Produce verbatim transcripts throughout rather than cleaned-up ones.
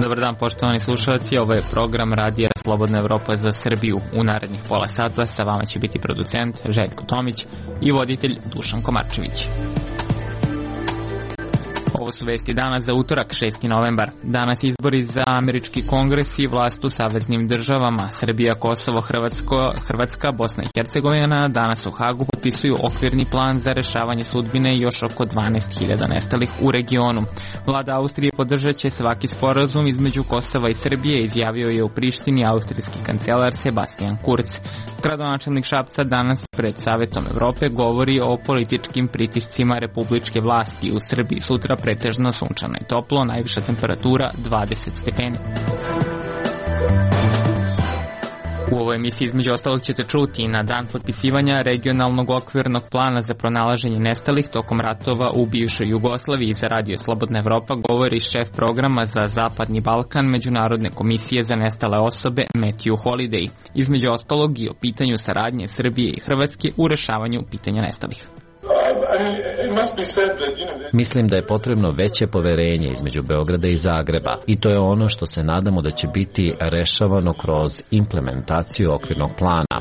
Dobar dan, poštovani slušalci, ovo je program Radija Slobodna Evropa za Srbiju. U narednih pola sata sa vama će biti producent Željko Tomić i voditelj Dušan Komarčević. Ovo su vesti dana za utorak, šesti novembar. Danas izbori za američki kongres i vlast u saveznim državama. Srbija, Kosovo, Hrvatsko, Hrvatska, Bosna i Hercegovina danas u Hagu potpisuju okvirni plan za rešavanje sudbine još oko dvanaest hiljada nestalih u regionu. Vlada Austrije podržat će svaki sporazum između Kosova i Srbije, izjavio je u Prištini austrijski kancelar Sebastian Kurz. Gradonačelnik Šapca danas pred Savetom Evrope govori o političkim pritiscima republičke vlasti u Srbiji. Sutra pretežno sunčano i toplo, najviša temperatura dvadeset stepeni. U ovoj emisiji između ostalog ćete čuti na dan potpisivanja regionalnog okvirnog plana za pronalaženje nestalih tokom ratova u bivšoj Jugoslaviji. Za Radio Slobodna Evropa govori šef programa za Zapadni Balkan Međunarodne komisije za nestale osobe Matthew Holiday. Između ostalog i o pitanju saradnje Srbije i Hrvatske u rešavanju pitanja nestalih. Mislim da je potrebno veće poverenje između Beograda i Zagreba i to je ono što se nadamo da će biti rešavano kroz implementaciju okvirnog plana.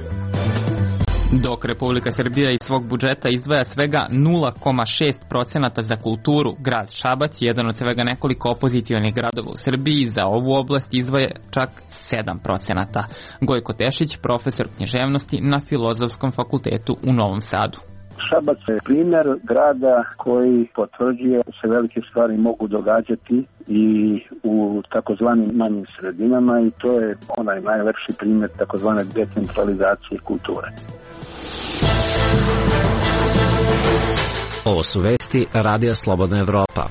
Dok Republika Srbija iz svog budžeta izdvaja svega nula zarez šest procenata za kulturu, grad Šabac, jedan od svega nekoliko opozicionih gradova u Srbiji, za ovu oblast izdvaja čak sedam procenata. Gojko Tešić, profesor književnosti na Filozofskom fakultetu u Novom Sadu. Šabac je primjer grada koji potvrđuje da se velike stvari mogu događati i u takozvanim manjim sredinama i to je onaj najlepši primjer takozvane decentralizacije kulture. Ovo su vesti Radija Slobodna Evropa.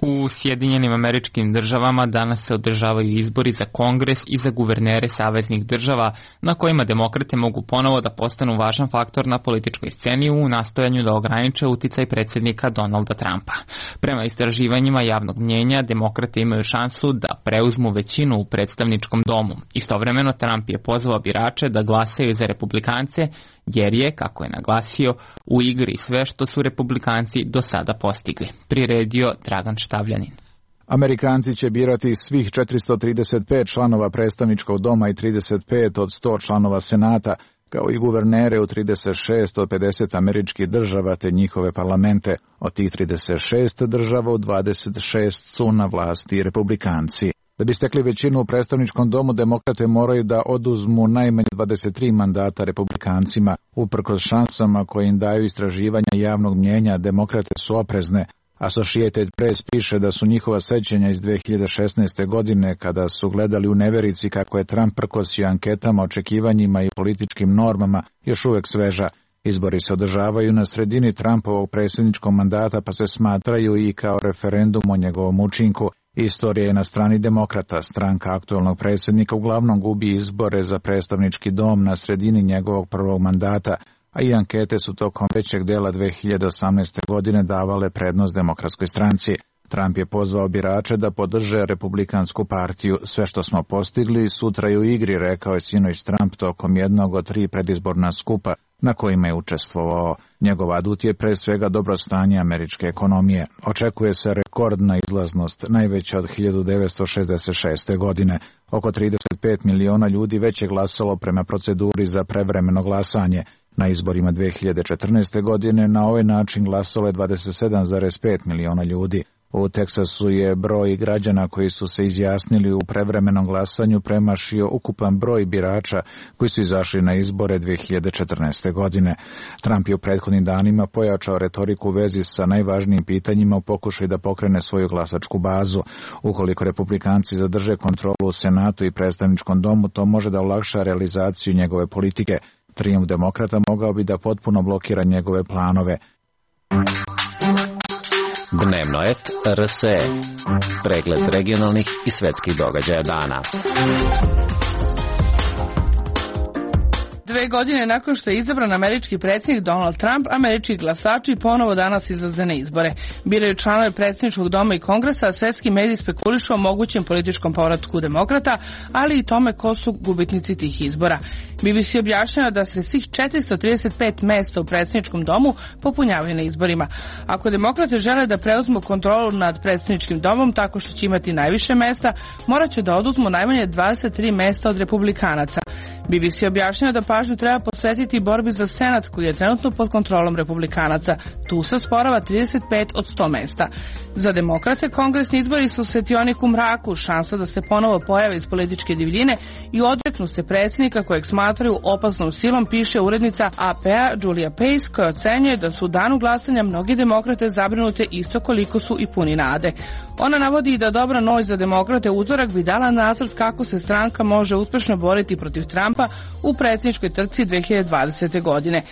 U Sjedinjenim Američkim Državama danas se održavaju izbori za Kongres i za guvernere saveznih država, na kojima demokrate mogu ponovo da postanu važan faktor na političkoj sceni u nastojanju da ograniče uticaj predsjednika Donalda Trumpa. Prema istraživanjima javnog mnjenja, demokrate imaju šansu da preuzmu većinu u predstavničkom domu. Istovremeno, Trump je pozvao birače da glasaju za republikance, jer je, kako je naglasio, u igri sve što su republikanci do sada postigli. Priredio Dragan Štavljanin. Amerikanci će birati svih četiristo trideset pet članova predstavničkog doma i trideset pet od sto članova senata, kao i guvernere u trideset šest od pedeset američkih država te njihove parlamente. Od tih trideset šest država u dvadeset šest su na vlasti republikanci. Da bi stekli većinu u predstavničkom domu, demokrate moraju da oduzmu najmanje dvadeset tri mandata republikancima. Uprkos šansama koje im daju istraživanja javnog mnjenja, demokrate su oprezne. Associated Press piše da su njihova sećanja iz dve hiljade šesnaeste. godine, kada su gledali u neverici kako je Trump prkosio anketama, očekivanjima i političkim normama, još uvek sveža. Izbori se održavaju na sredini Trumpovog predsjedničkog mandata, pa se smatraju i kao referendum o njegovom učinku. Istorija je na strani demokrata. Stranka aktuelnog predsjednika uglavnom gubi izbore za predstavnički dom na sredini njegovog prvog mandata, a i ankete su tokom većeg dela dve hiljade osamnaeste. godine davale prednost demokratskoj stranci. Trump je pozvao birače da podrže republikansku partiju. Sve što smo postigli sutra je u igri, rekao je sinoć Trump tokom jednog od tri predizborna skupa na kojima je učestvovao. Njegov adut je pre svega dobro stanje američke ekonomije. Očekuje se rekordna izlaznost, najveća od hiljadu devetsto šezdeset šeste. godine. Oko trideset pet miliona ljudi već je glasalo prema proceduri za prevremeno glasanje. Na izborima dve hiljade četrnaeste. godine na ovaj način glasalo je dvadeset sedam zarez pet miliona ljudi. U Teksasu je broj građana koji su se izjasnili u prevremenom glasanju premašio ukupan broj birača koji su izašli na izbore dve hiljade četrnaeste. godine. Trump je u prethodnim danima pojačao retoriku u vezi sa najvažnijim pitanjima u pokušaju da pokrene svoju glasačku bazu. Ukoliko republikanci zadrže kontrolu u Senatu i predstavničkom domu, to može da olakša realizaciju njegove politike. Trijumf demokrata mogao bi da potpuno blokira njegove planove. Dnevno et R S E. Pregled regionalnih i svetskih događaja dana. Dve godine nakon što je izabran američki predsjednik Donald Trump, američki glasači ponovo danas izlaze na izbore. Biraju članove predsjedničkog doma i kongresa, a svetski mediji spekulišu o mogućem političkom povratku demokrata, ali i tome ko su gubitnici tih izbora. B B C objašnjava da se svih četiristo trideset pet mesta u predsjedničkom domu popunjavaju na izborima. Ako demokrate žele da preuzmu kontrolu nad predsjedničkim domom tako što će imati najviše mesta, morat će da oduzmu najmanje dvadeset tri mesta od republikanaca. B B C objašnjava da pažnju treba posvetiti borbi za Senat koji je trenutno pod kontrolom republikanaca. Tu se osporava trideset pet od sto mesta. Za demokrate kongresni izbori su svetionik u mraku, šansa da se ponovo pojave iz političke divljine i odreknu se predsjednika kojeg smatraju opasnom silom, piše urednica A P-a Julia Pace, koja ocenjuje da su u danu glasanja mnogi demokrate zabrinute isto koliko su i puni nade. Ona navodi i da dobra noć za demokrate utorak bi dala nacrt kako se stranka može uspešno boriti protiv Trumpa u predsjedničkoj trci dve hiljade dvadesete. godine.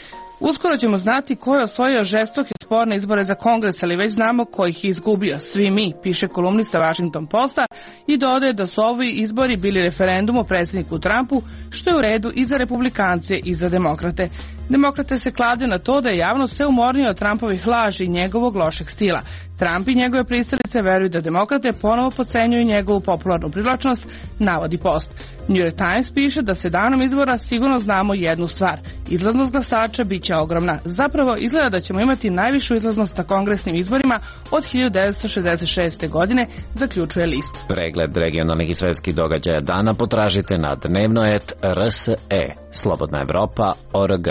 Uskoro ćemo znati ko je osvojio žestoke sporne izbore za kongres, ali već znamo ko ih je izgubio. Svi mi, piše kolumnista Washington Posta i dodaje da su ovi izbori bili referendum o predsjedniku Trumpu, što je u redu i za republikance i za demokrate. Demokrate se klade na to da je javnost sve umornija od Trumpovih laži i njegovog lošeg stila. Trump i njegove pristalice veruju da demokrate ponovo potcenjuju njegovu popularnu privlačnost, navodi Post. New York Times piše da se danom izbora sigurno znamo jednu stvar. Izlaznost glasača bit će ogromna. Zapravo izgleda da ćemo imati najvišu izlaznost na kongresnim izborima od hiljadu devetsto šezdeset šeste. godine, zaključuje list. Pregled regionalnih i svetskih događaja dana potražite na dnevnoet R S E, Slobodna Evropa, O R G.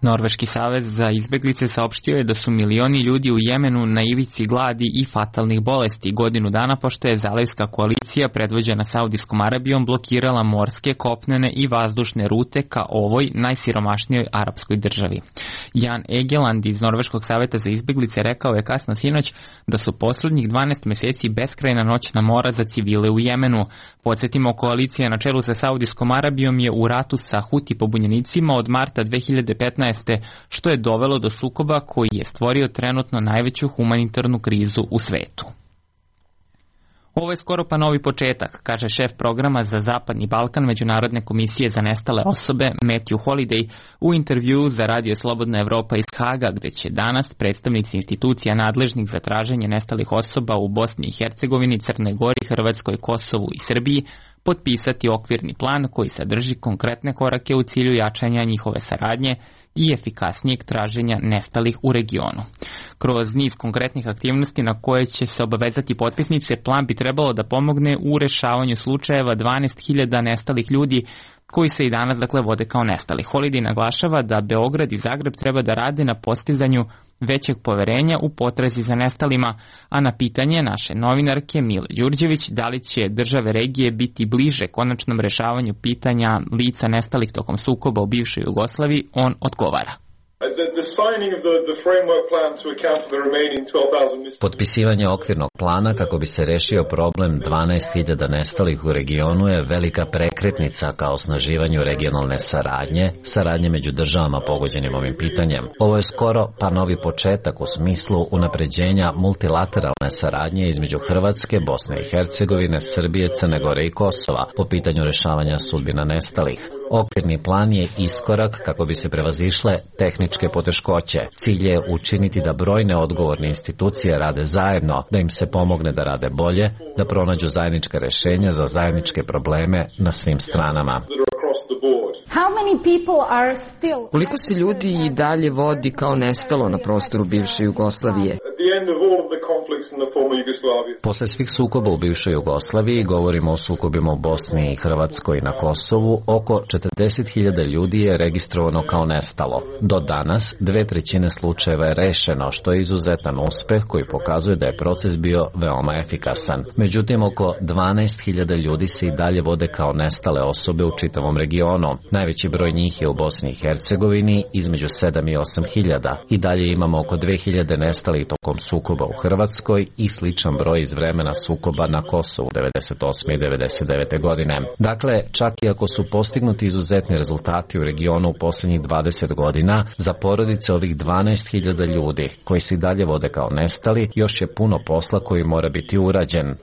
Norveški savez za izbeglice saopštio je da su milioni ljudi u Jemenu na ivici gladi i fatalnih bolesti godinu dana pošto je zalivska koalicija predvođena Saudijskom Arabijom blokirala morske, kopnene i vazdušne rute ka ovoj najsiromašnijoj arapskoj državi. Jan Egeland iz Norveškog saveta za izbeglice rekao je kasno sinoć da su poslednjih dvanaest meseci beskrajna noćna mora za civile u Jemenu. Podsjetimo, koalicija na čelu sa Saudijskom Arabijom je u ratu sa Huti pobunjenicima od marta dve hiljade petnaeste. što je dovelo do sukoba koji je stvorio trenutno najveću humanitarnu krizu u svetu. Ovo je skoro pa novi početak, kaže šef programa za Zapadni Balkan Međunarodne komisije za nestale osobe Matthew Holiday u intervjuu za Radio Slobodna Evropa iz Haga, gde će danas predstavnici institucija nadležnih za traženje nestalih osoba u Bosni i Hercegovini, Crnoj Gori, Hrvatskoj, Kosovu i Srbiji potpisati okvirni plan koji sadrži konkretne korake u cilju jačanja njihove saradnje i efikasnijeg traženja nestalih u regionu. Kroz niz konkretnih aktivnosti na koje će se obavezati potpisnice, plan bi trebalo da pomogne u rešavanju slučajeva dvanaest hiljada nestalih ljudi koji se i danas dakle vode kao nestali. Holiday naglašava da Beograd i Zagreb treba da rade na postizanju većeg poverenja u potrazi za nestalima, a na pitanje naše novinarke Mile Đurđević da li će države regije biti bliže konačnom rešavanju pitanja lica nestalih tokom sukoba u bivšoj Jugoslaviji, on odgovara. Potpisivanje okvirnog plana kako bi se rešio problem dvanaest hiljada nestalih u regionu je velika prekretnica ka osnaživanju regionalne saradnje, saradnje među državama pogođenim ovim pitanjem. Ovo je skoro pa novi početak u smislu unapređenja multilateralne saradnje između Hrvatske, Bosne i Hercegovine, Srbije, Crne Gore i Kosova po pitanju rešavanja sudbina nestalih. Okvirni plan je iskorak kako bi se prevazišle tehničke poteškoće. Cilj je učiniti da brojne odgovorne institucije rade zajedno, da im se pomogne da rade bolje, da pronađu zajednička rešenja za zajedničke probleme na svim stranama. Koliko se ljudi i dalje vodi kao nestalo na prostoru bivše Jugoslavije? Posle svih sukoba u bivšoj Jugoslaviji, govorimo o sukobima u Bosni i Hrvatskoj i na Kosovu, oko četrdeset hiljada ljudi je registrovano kao nestalo. Do danas, dve trećine slučajeva je rešeno, što je izuzetan uspeh koji pokazuje da je proces bio veoma efikasan. Međutim, oko dvanaest hiljada ljudi se i dalje vode kao nestale osobe u čitavom regionu. Najveći broj njih je u Bosni i Hercegovini, između sedam i osam hiljada. I dalje imamo oko dve hiljade nestalih tokom sukoba u Hrvatskoj i sličan broj iz vremena sukoba na Kosovu devedeset osme i devedeset devete godine. Dakle, čak i ako su postignuti izuzetni rezultati u regionu u posljednjih dvadeset godina, za porodice ovih dvanaest hiljada ljudi koji se i dalje vode kao nestali, još je puno posla koji mora biti urađen.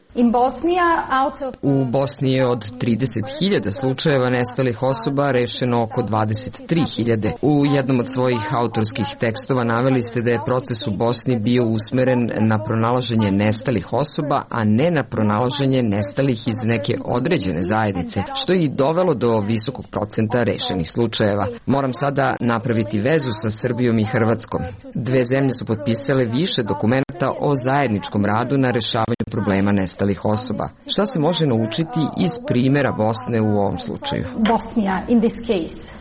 U Bosni je od trideset hiljada slučajeva nestalih osoba rešeno oko dvadeset tri hiljade. U jednom od svojih autorskih tekstova naveli ste da je proces u Bosni bio usmeren na pronalaženje nestalih osoba, a ne na pronalaženje nestalih iz neke određene zajednice, što je i dovelo do visokog procenta rešenih slučajeva. Moram sada napraviti vezu sa Srbijom i Hrvatskom. Dve zemlje su potpisale više dokumenta o zajedničkom radu na rešavanju problema nestalih osoba. Šta se može naučiti iz primjera Bosne u ovom slučaju? Bosnia in this case.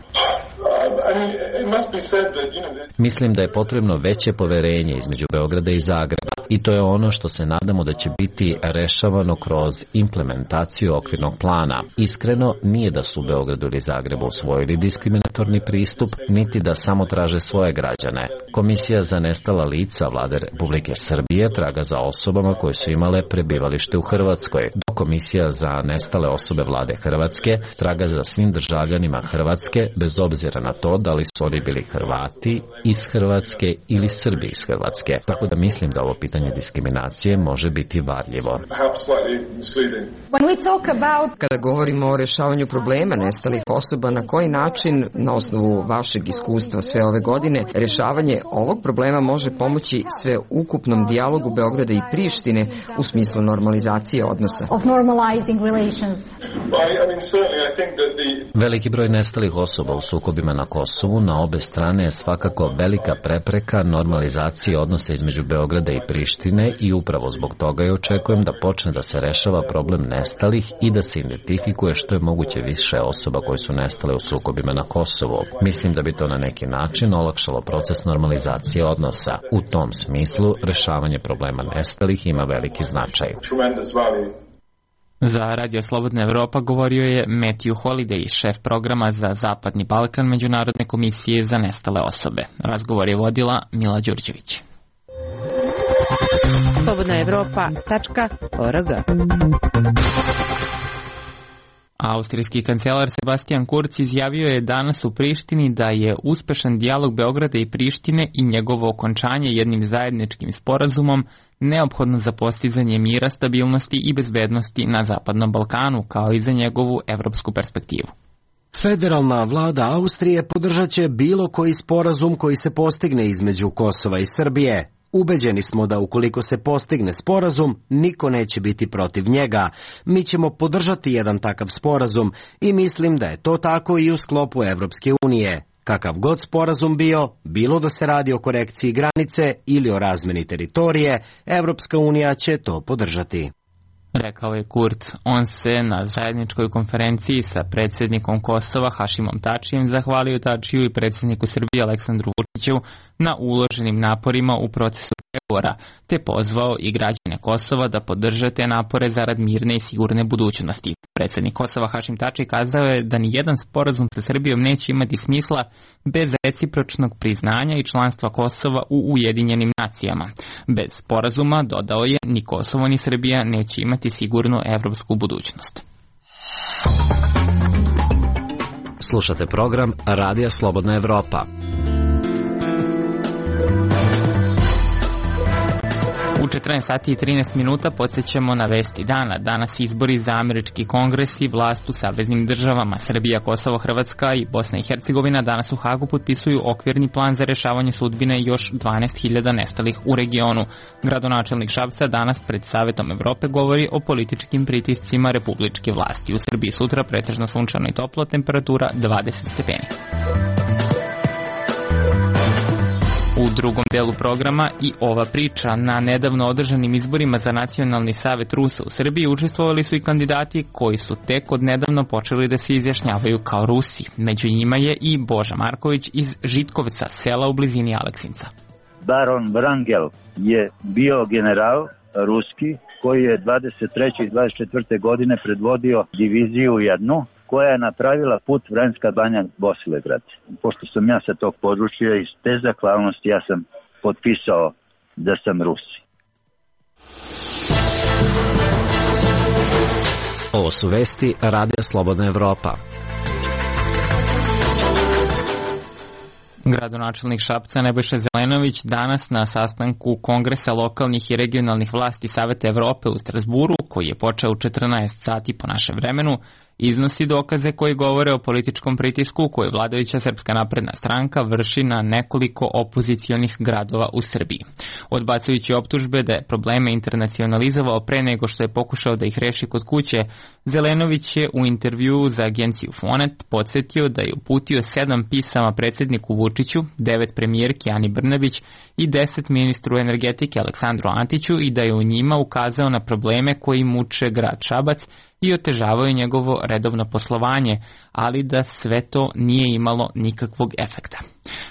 Mislim da je potrebno veće poverenje između Beograda i Zagreba i to je ono što se nadamo da će biti rešavano kroz implementaciju okvirnog plana. Iskreno, nije da su u Beogradu ili Zagrebu usvojili diskriminatorni pristup, niti da samo traže svoje građane. Komisija za nestala lica Vlade Republike Srbije traga za osobama koje su imale prebivalište u Hrvatskoj, dok Komisija za nestale osobe Vlade Hrvatske traga za svim državljanima Hrvatske, bez obzira na to da li su oni bili Hrvati iz Hrvatske ili Srbi iz Hrvatske. Tako da mislim da ovo pitanje diskriminacije može biti varljivo. Kada govorimo o rešavanju problema nestalih osoba, na koji način, na osnovu vašeg iskustva sve ove godine, rešavanje ovog problema može pomoći sve ukupnom dijalogu Beograda i Prištine u smislu normalizacije odnosa? Veliki broj nestalih osoba u sukobima na Kosovu na obe strane je svakako velika prepreka normalizacije odnosa između Beograda i Prištine i upravo zbog toga je očekujem da počne da se rešava problem nestalih i da se identifikuje što je moguće više osoba koje su nestale u sukobima na Kosovu. Mislim da bi to na neki način olakšalo proces normalizacije odnosa. U tom smislu, rešavanje problema nestalih ima veliki značaj. Za Radio Slobodna Evropa govorio je Matthew Holiday, šef programa za Zapadni Balkan Međunarodne komisije za nestale osobe. Razgovor je vodila Mila Đurđević. slobodna evropa tačka org. Austrijski kancelar Sebastian Kurz izjavio je danas u Prištini da je uspešan dijalog Beograda i Prištine i njegovo okončanje jednim zajedničkim sporazumom neophodno za postizanje mira, stabilnosti i bezbednosti na Zapadnom Balkanu, kao i za njegovu evropsku perspektivu. Federalna vlada Austrije podržat će bilo koji sporazum koji se postigne između Kosova i Srbije. Ubeđeni smo da ukoliko se postigne sporazum, niko neće biti protiv njega. Mi ćemo podržati jedan takav sporazum i mislim da je to tako i u sklopu Evropske unije. Kakav god sporazum bio, bilo da se radi o korekciji granice ili o razmeni teritorije, Evropska unija će to podržati. Rekao je Kurz. On se na zajedničkoj konferenciji sa predsjednikom Kosova Hašimom Tačijem zahvalio Tačiju i predsjedniku Srbije Aleksandru Vučiću na uloženim naporima u procesu pregovora, te pozvao i građane Kosova da podrže te napore zarad mirne i sigurne budućnosti. Predsjednik Kosova Hašim Tači kazao je da ni jedan sporazum sa Srbijom neće imati smisla bez recipročnog priznanja i članstva Kosova u Ujedinjenim nacijama. Bez sporazuma, dodao je, ni Kosovo ni Srbija neće imati sigurnu evropsku budućnost. Slušate program Radija Slobodna Evropa. U četrnaest sati i trinaest minuta podsjećamo na vesti dana. Danas izbori za američki kongres i vlast u saveznim državama. Srbija, Kosovo, Hrvatska i Bosna i Hercegovina danas u Hagu potpisuju okvirni plan za rešavanje sudbine još dvanaest hiljada nestalih u regionu. Gradonačelnik Šapca danas pred Savetom Evrope govori o političkim pritiscima republičke vlasti. U Srbiji sutra pretežno sunčano i toplo, temperatura dvadeset stepeni. U drugom delu programa i ova priča. Na nedavno održanim izborima za Nacionalni savet Rusa u Srbiji učestvovali su i kandidati koji su tek od nedavno počeli da se izjašnjavaju kao Rusi. Među njima je i Boža Marković iz Žitkovca, sela u blizini Aleksinca. Baron Vrangel je bio general ruski koji je dvadeset treće i dvadeset četvrte godine predvodio diviziju jednu koja je napravila put Vranjska Banja Bosilegrad. Pošto sam ja sa tog područja, iz te zahvalnosti ja sam potpisao da sam Rus. Ovo su vesti Radija Slobodna Evropa. Gradonačelnik Šapca Nebojša Zelenović danas na sastanku Kongresa lokalnih i regionalnih vlasti Saveta Evrope u Strasburu, koji je počeo u četrnaest sati po našem vremenu, iznosi dokaze koji govore o političkom pritisku koju vladajuća Srpska napredna stranka vrši na nekoliko opozicionih gradova u Srbiji. Odbacujući optužbe da je probleme internacionalizovao pre nego što je pokušao da ih reši kod kuće, Zelenović je u intervjuu za agenciju Fonet podsjetio da je uputio sedam pisama predsjedniku Vučiću, devet premijerki Ani Brnabić i deset ministru energetike Aleksandru Antiću i da je u njima ukazao na probleme koji muče grad Šabac i otežavaju njegovo redovno poslovanje, ali da sve to nije imalo nikakvog efekta.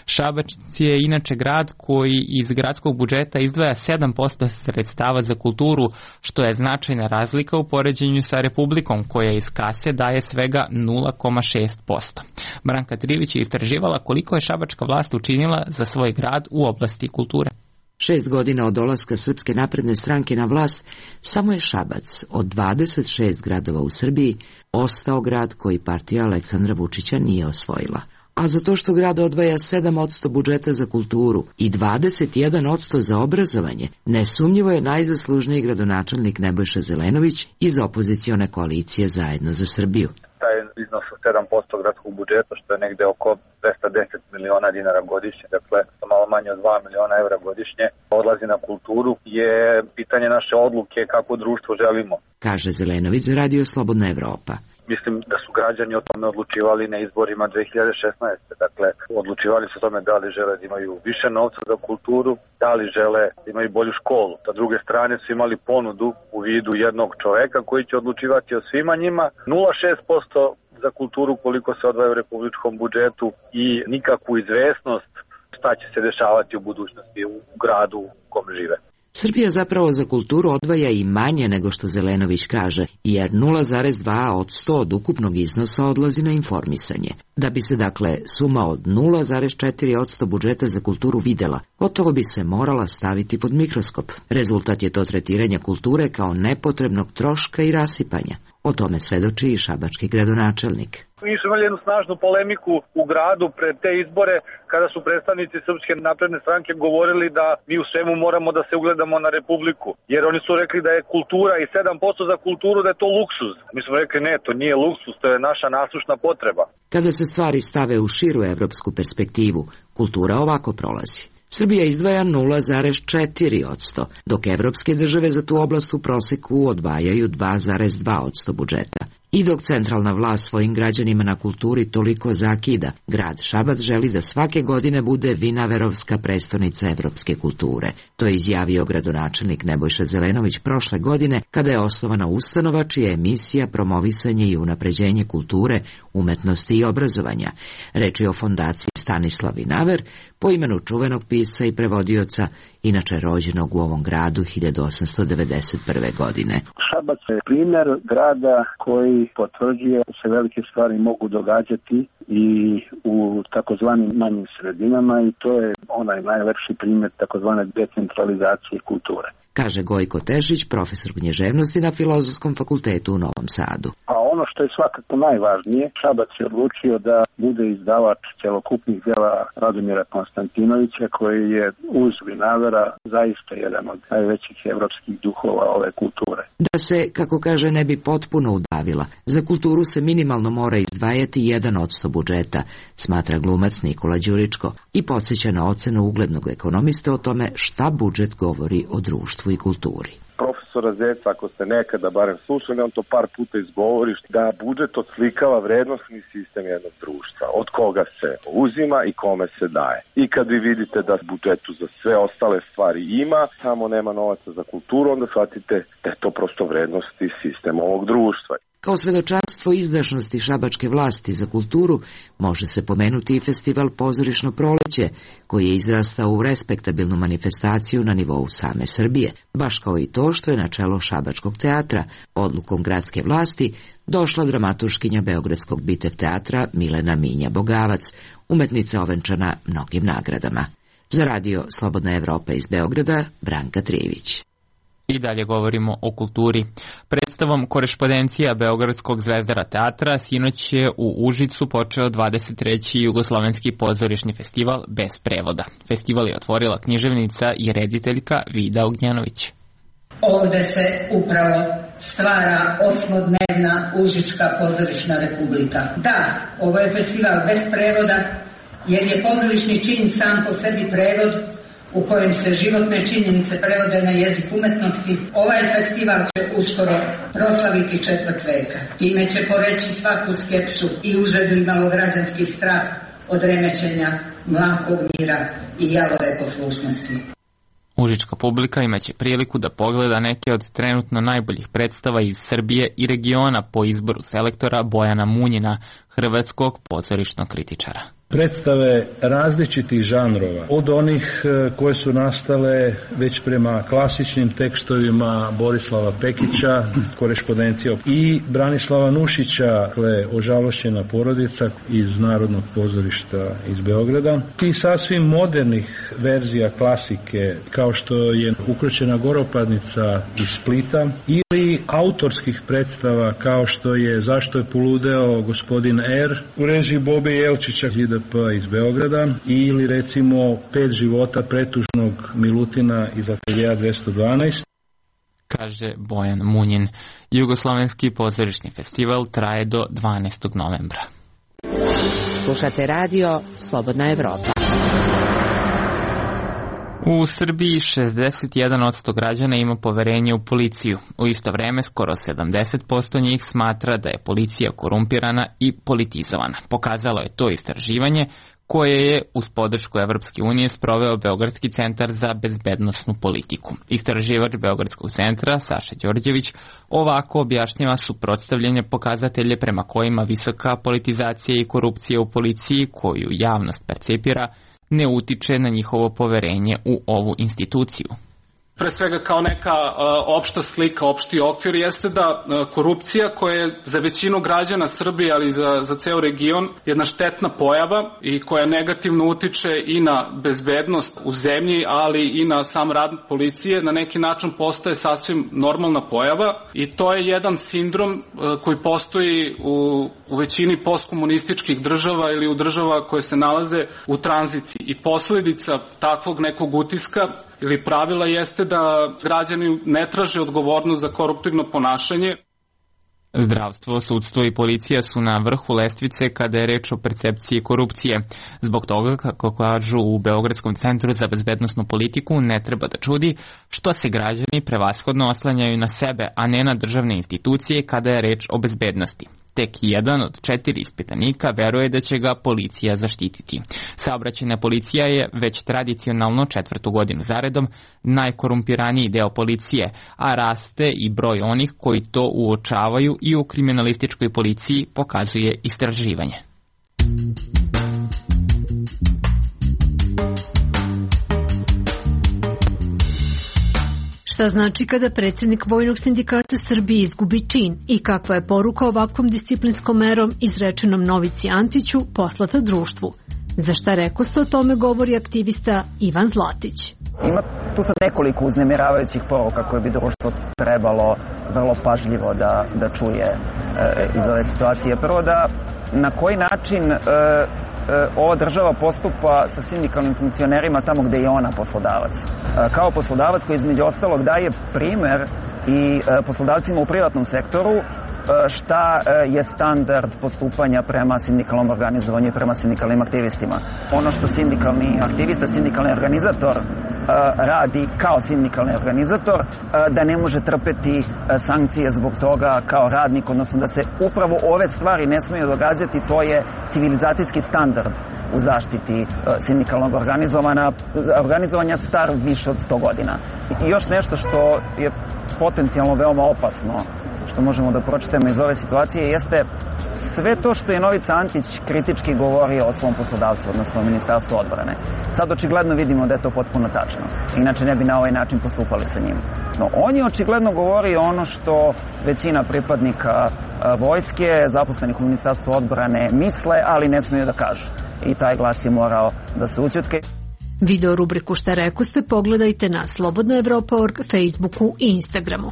Šabac je inače grad koji iz gradskog budžeta izdvaja sedam posto sredstava za kulturu, što je značajna razlika u poređenju sa Republikom, koja iz kase daje svega nula zarez šest posto. Branka Trivić je istraživala koliko je šabačka vlast učinila za svoj grad u oblasti kulture. Šest godina od dolaska Srpske napredne stranke na vlast, samo je Šabac od dvadeset šest gradova u Srbiji ostao grad koji partija Aleksandra Vučića nije osvojila. A zato što grad odvaja sedam posto budžeta za kulturu i dvadeset jedan posto za obrazovanje, nesumnjivo je najzaslužniji gradonačelnik Nebojša Zelenović iz opozicione koalicije Zajedno za Srbiju. Taj iznos od sedam posto gradskog budžeta, što je negde oko dvesta deset miliona dinara godišnje, dakle malo manje od dva miliona evra godišnje, odlazi na kulturu, je pitanje naše odluke kako društvo želimo. Kaže Zelenović za Radio Slobodna Evropa. Mislim da su građani o tome odlučivali na izborima dve hiljade šesnaeste. Dakle, odlučivali su o tome da li žele da imaju više novca za kulturu, da li žele da imaju bolju školu. Sa druge strane su imali ponudu u vidu jednog čoveka koji će odlučivati o svima njima. nula zarez šest posto za kulturu koliko se odvaja u republičkom budžetu i nikakvu izvesnost šta će se dešavati u budućnosti u gradu u kom žive. Srbija zapravo za kulturu odvaja i manje nego što Zelenović kaže, jer nula zarez dva posto od ukupnog iznosa odlazi na informisanje. Da bi se dakle suma od nula zarez četiri posto budžeta za kulturu videla, gotovo bi se morala staviti pod mikroskop. Rezultat je to tretiranje kulture kao nepotrebnog troška i rasipanja. O tome svedoči i šabački gradonačelnik. Mi smo imali jednu snažnu polemiku u gradu pred te izbore kada su predstavnici Srpske napredne stranke govorili da mi u svemu moramo da se ugledamo na Republiku. Jer oni su rekli da je kultura i sedam posto za kulturu da je to luksuz. Mi smo rekli ne, to nije luksuz, to je naša nasušna potreba. Kada se stvari stave u širu evropsku perspektivu, kultura ovako prolazi. Srbija izdvaja nula zarez četiri posto, dok evropske države za tu oblast u proseku odvajaju dva zarez dva posto budžeta. I dok centralna vlast svojim građanima na kulturi toliko zakida, grad Šabac želi da svake godine bude Vinaverovska prestonica evropske kulture. To je izjavio gradonačelnik Nebojša Zelenović prošle godine kada je osnovana ustanova čija je misija promovisanje i unapređenje kulture, umetnosti i obrazovanja. Reč je o fondaciji Stanislav Vinaver, po imenu čuvenog pisca i prevodioca, inače rođenog u ovom gradu hiljadu osamsto devedeset prve. godine. Šabac je primjer grada koji potvrđuje da se velike stvari mogu događati i u takozvanim manjim sredinama i to je onaj najlepši primjer takozvane decentralizacije kulture. Kaže Gojko Tešić, profesor književnosti na Filozofskom fakultetu u Novom Sadu. A ono što je svakako najvažnije, Šabac je odlučio da bude izdavač celokupnih dela Radomira Konstantinovića, koji je uz Vinavera zaista jedan od najvećih evropskih duhova ove kulture. Da se, kako kaže, ne bi potpuno udavila, za kulturu se minimalno mora izdvajati jedan posto budžeta, smatra glumac Nikola Đuričko i podsjeća na ocenu uglednog ekonomista o tome šta budžet govori o društvu i kulturi. Profesora Zeca, ako ste nekada barem slušali, on to par puta izgovori, da budžet odslikava vrednosni sistem jednog društva, od koga se uzima i kome se daje. I kad vi vidite da budžetu za sve ostale stvari ima, samo nema novaca za kulturu, onda shvatite da je to prosto vrednosti sistem ovog društva. Kao svedočanstvo izdašnosti šabačke vlasti za kulturu može se pomenuti i festival Pozorišno proleće, koji je izrastao u respektabilnu manifestaciju na nivou same Srbije, baš kao i to što je na čelo Šabačkog teatra, odlukom gradske vlasti, došla dramaturškinja Beogradskog Bitev teatra Milena Minja Bogavac, umetnica ovenčana mnogim nagradama. Za Radio Slobodna Evropa iz Beograda, Branka Trivić. I dalje govorimo o kulturi. Predstavom Korespondencija Beogradskog Zvezdara teatra sinoć je u Užicu počeo dvadeset treći Jugoslovenski pozorišni festival bez prevoda. Festival je otvorila književnica i rediteljka Vida Ognjanović. Ovde se upravo stvara osmodnevna Užička pozorišna republika. Da, ovo je festival bez prevoda, jer je pozorišni čin sam po sebi prevod u kojem se životne činjenice prevode na jezik umetnosti. Ovaj festival će uskoro proslaviti četvrt veka. Time će poreći svaku skepsu i užedu i malograđanski strah od remećenja mlakog mira i jalove poslušnosti. Užička publika imaće priliku da pogleda neke od trenutno najboljih predstava iz Srbije i regiona po izboru selektora Bojana Munjina, hrvatskog pozorišnog kritičara. Predstave različitih žanrova, od onih koje su nastale već prema klasičnim tekstovima Borislava Pekića, Korespondencija, i Branislava Nušića, dakle Ožalošćena porodica iz Narodnog pozorišta iz Beograda, i sasvim modernih verzija klasike, kao što je Ukroćena goropadnica iz Splita, ili autorskih predstava kao što je Zašto je poludeo gospodin R u režiji Bobe Jelčića iz Beograda, ili recimo Pet života pretužnog Milutina iz ateljea dvesta dvanaest. Kaže Bojan Munjin. Jugoslovenski pozorišni festival traje do dvanaestog novembra. Slušate radio Slobodna Evropa. U Srbiji šezdeset jedan posto građana ima poverenje u policiju. U isto vreme skoro sedamdeset posto njih smatra da je policija korumpirana i politizovana. Pokazalo je to istraživanje koje je uz podršku Evropske unije sproveo Beogradski centar za bezbednosnu politiku. Istraživač Beogradskog centra Saša Đorđević ovako objašnjava suprotstavljanje pokazatelje prema kojima visoka politizacija i korupcija u policiji, koju javnost percepira, ne utiče na njihovo poverenje u ovu instituciju. Pre svega kao neka uh, opšta slika, opšti okvir jeste da uh, korupcija koja je za većinu građana Srbije, ali za, za ceo region, jedna štetna pojava i koja negativno utiče i na bezbednost u zemlji, ali i na sam rad policije, na neki način postaje sasvim normalna pojava i to je jedan sindrom uh, koji postoji u, u većini postkomunističkih država ili u država koje se nalaze u tranziciji i posledica takvog nekog utiska ili pravila jeste da građani ne traže odgovornost za koruptivno ponašanje. Zdravstvo, sudstvo i policija su na vrhu lestvice kada je reč o percepciji korupcije. Zbog toga, kako kažu u Beogradskom centru za bezbednosnu politiku, ne treba da čudi što se građani prevashodno oslanjaju na sebe, a ne na državne institucije kada je reč o bezbednosti. Tek jedan od četiri ispitanika veruje da će ga policija zaštititi. Saobraćajna policija je već tradicionalno četvrtu godinu zaredom najkorumpiraniji deo policije, a raste i broj onih koji to uočavaju i u kriminalističkoj policiji, pokazuje istraživanje. Šta znači kada predsjednik Vojnog sindikata Srbije izgubi čin i kakva je poruka ovakvom disciplinskom merom izrečenom Novici Antiću poslata društvu? Za šta rekoste o tome govori aktivista Ivan Zlatić. Ima tu sad nekoliko uznemiravajućih poruka koje bi društvo trebalo vrlo pažljivo da, da čuje e, iz ove situacije. Prvo da na koji način e, ova država postupa sa sindikalnim funkcionerima tamo gde je ona poslodavac. Kao poslodavac koji između ostalog daje primer i poslodavcima u privatnom sektoru šta je standard postupanja prema sindikalnom organizovanju i prema sindikalnim aktivistima. Ono što sindikalni aktivista, sindikalni organizator radi kao sindikalni organizator, da ne može trpeti sankcije zbog toga kao radnik, odnosno da se upravo ove stvari ne smiju događati, to je civilizacijski standard u zaštiti sindikalnog organizovanja star više od sto godina. I još nešto što je potencijalno veoma opasno, što možemo da pročitamo iz ove situacije, jeste sve to što je Novica Antić kritički govorio o svom poslodavcu, odnosno Ministarstvu odbrane. Sad očigledno vidimo da je to potpuno tačno. Inače ne bi na ovaj način postupali sa njim. No, on je očigledno govorio ono što većina pripadnika vojske, zaposlenih u Ministarstvu odbrane misle, ali ne smiju da kažu. I taj glas je morao da se ućutke. Video rubriku Šta rekoste pogledajte na slobodna evropa tačka org, Facebooku i Instagramu.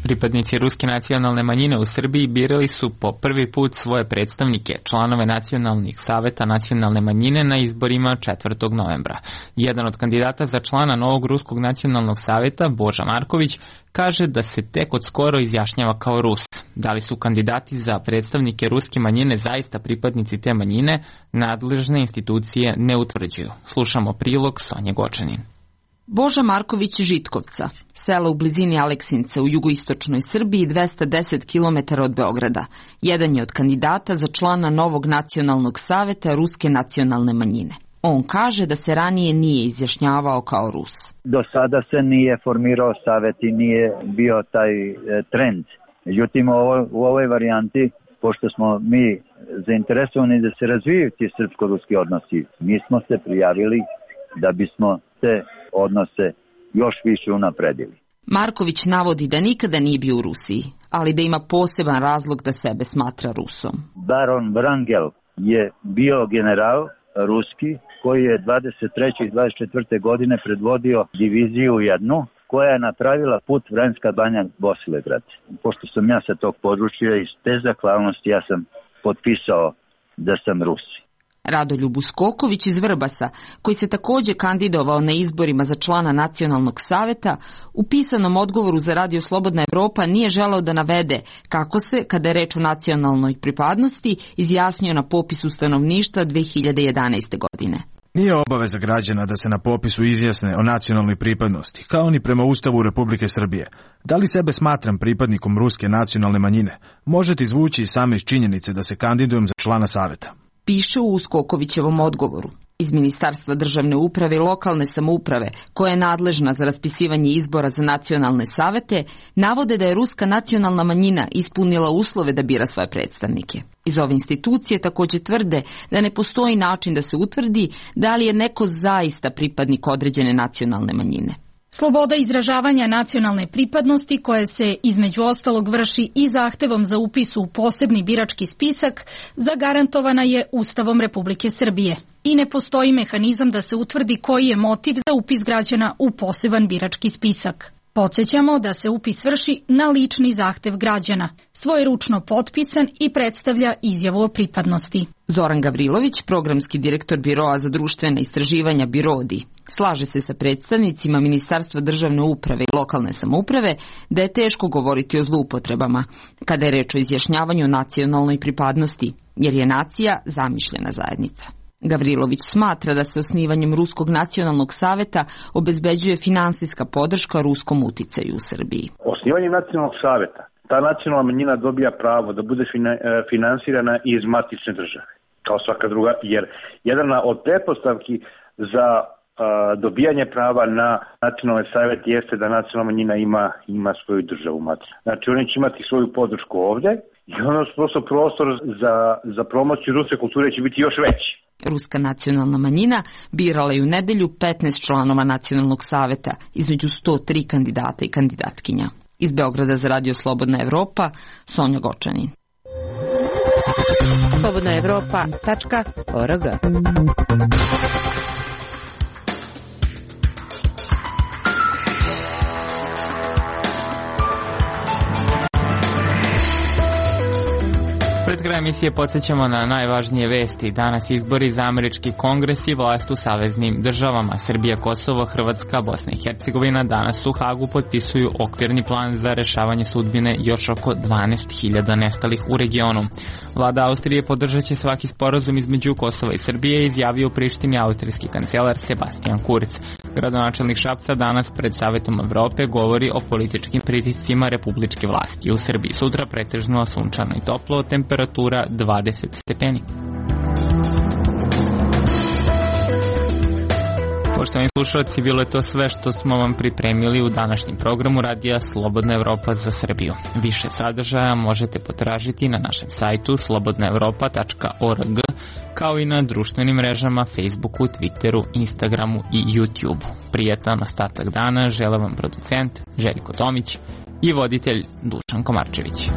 Pripadnici ruske nacionalne manjine u Srbiji birali su po prvi put svoje predstavnike, članove nacionalnih saveta nacionalne manjine na izborima četvrtog novembra. Jedan od kandidata za člana novog ruskog nacionalnog saveta, Boža Marković, kaže da se tek od skoro izjašnjava kao Rus. Da li su kandidati za predstavnike ruske manjine zaista pripadnici te manjine, nadležne institucije ne utvrđuju. Slušamo prilog Sonje Gočanin. Boža Marković Žitkovca, selo u blizini Aleksinca u jugoistočnoj Srbiji, dvesta deset kilometara od Beograda. Jedan je od kandidata za člana novog nacionalnog saveta ruske nacionalne manjine. On kaže da se ranije nije izjašnjavao kao Rus. Do sada se nije formirao savet i nije bio taj e, trend. Međutim, ovo, u ovoj varijanti, pošto smo mi zainteresovani da se razvijaju ti srpsko-ruski odnosi, mi smo se prijavili da bismo te odnose još više unapredili. Marković navodi da nikada nije bio u Rusiji, ali da ima poseban razlog da sebe smatra Rusom. Baron Vrangel je bio general ruski koji je dvadeset treće i dvadeset četvrte godine predvodio diviziju jednu koja je napravila put Vranjska Banja Bosilegrad. Pošto sam ja sa tog područja iz te zahvalnosti ja sam potpisao da sam Rus. Radoljub Uskoković iz Vrbasa, koji se takođe kandidovao na izborima za člana nacionalnog saveta, u pisanom odgovoru za Radio Slobodna Evropa nije želeo da navede kako se, kada je reč o nacionalnoj pripadnosti, izjasnio na popisu stanovništva dve hiljade jedanaeste. godine. Nije obaveza građana da se na popisu izjasne o nacionalnoj pripadnosti, kao ni prema Ustavu Republike Srbije. Da li sebe smatram pripadnikom ruske nacionalne manjine, možete izvući i same iz činjenice da se kandidujem za člana saveta. Piše u Uskokovićevom odgovoru. Iz Ministarstva državne uprave i lokalne samouprave, koja je nadležna za raspisivanje izbora za nacionalne savete, navode da je ruska nacionalna manjina ispunila uslove da bira svoje predstavnike. Iz ove institucije takođe tvrde da ne postoji način da se utvrdi da li je neko zaista pripadnik određene nacionalne manjine. Sloboda izražavanja nacionalne pripadnosti, koje se između ostalog vrši i zahtevom za upis u posebni birački spisak, zagarantovana je Ustavom Republike Srbije i ne postoji mehanizam da se utvrdi koji je motiv za upis građana u poseban birački spisak. Podsećamo da se upis vrši na lični zahtev građana, svojeručno potpisan i predstavlja izjavu o pripadnosti. Zoran Gavrilović, programski direktor Biroa za društvena istraživanja Birodi, slaže se sa predstavnicima Ministarstva državne uprave i lokalne samouprave da je teško govoriti o zloupotrebama kada je reč o izjašnjavanju nacionalnoj pripadnosti, jer je nacija zamišljena zajednica. Gavrilović smatra da se osnivanjem Ruskog nacionalnog saveta obezbeđuje finansijska podrška ruskom uticaju u Srbiji. Osnivanjem nacionalnog saveta ta nacionalna manjina dobija pravo da bude finansirana iz matične države, kao svaka druga, jer jedna od pretpostavki za dobijanje prava na nacionalni savjet jeste da nacionalna manjina ima, ima svoju državu matičnu. Znači oni će imati svoju podršku ovde i ono prosto prostor za, za promociju ruske kulture će biti još veći. Ruska nacionalna manjina birala je u nedelju petnaest članova nacionalnog saveta, između sto tri kandidata i kandidatkinja. Iz Beograda za Radio Slobodna Evropa, Sonja Gočanin. slobodna evropa tačka org. Pred kraj emisije podsjećamo na najvažnije vesti. Danas izbori za američki kongres i vlast u saveznim državama. Srbija, Kosovo, Hrvatska, Bosna i Hercegovina danas u Hagu potpisuju okvirni plan za rešavanje sudbine još oko dvanaest hiljada nestalih u regionu. Vlada Austrije podržat će svaki sporazum između Kosova i Srbije, izjavio u Prištini austrijski kancelar Sebastian Kurz. Gradonačelnik Šapca danas pred Savetom Evrope govori o političkim pritiscima republičke vlasti u Srbiji. Sutra pretežno sunčano i toplo, temperatura dvadeset stepeni. Poštovani slušalci, bilo je to sve što smo vam pripremili u današnjem programu Radija Slobodna Evropa za Srbiju. Više sadržaja možete potražiti na našem sajtu slobodna evropa tačka org, kao i na društvenim mrežama Facebooku, Twitteru, Instagramu i YouTubeu. Prijetan ostatak dana žele vam producent Željko Tomić i voditelj Dušan Komarčević.